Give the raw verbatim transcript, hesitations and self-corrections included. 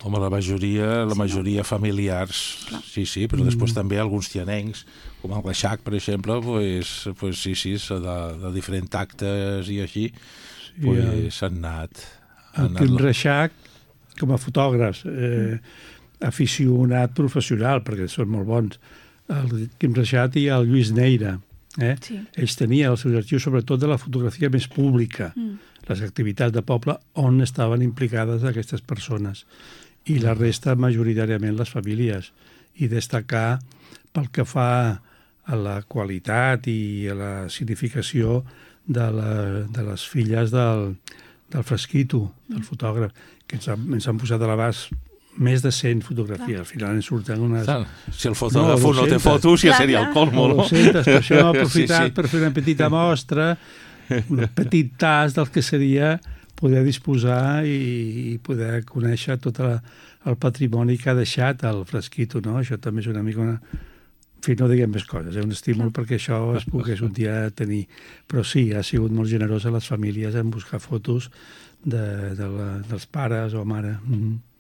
Home, la majoria, la Sí, majoria familiars, Clar. sí, sí, però després també alguns tianencs, com el Reixac, per exemple, pues, pues sí, sí, de, de diferents actes i així, pues s'han anat... El Quim Reixac, com a fotògrafs, eh, aficionat professional, perquè són molt bons, el Quim Reixac i el Lluís Neira. Eh? Sí. Ells tenien els seus arxius sobretot de la fotografia més pública, Mm. les activitats de poble on estaven implicades aquestes persones, i la resta majoritàriament les famílies, i destacar pel que fa a la qualitat i a la significació de, la, de les filles del, del Fresquito, del fotògraf, que ens han, ens han posat a l'abast més de cent fotografies. Al final ens surten unes... Si el fotògraf no, no té dues-centes. fotos, ja Clar, seria clar. el colmo, O no? dues-centes, per això hem aprofitat Sí, sí. per fer una petita mostra, un petit tas del que seria poder disposar i, i poder conèixer tot la, el patrimoni que ha deixat el Fresquito, no? Això també és una mica una... En fi, no diguem més coses, és eh? un estímul perquè això es pogués un dia tenir. Però sí, ha sigut molt generosa les famílies en buscar fotos de, de la, dels pares o mare. Mm-hmm.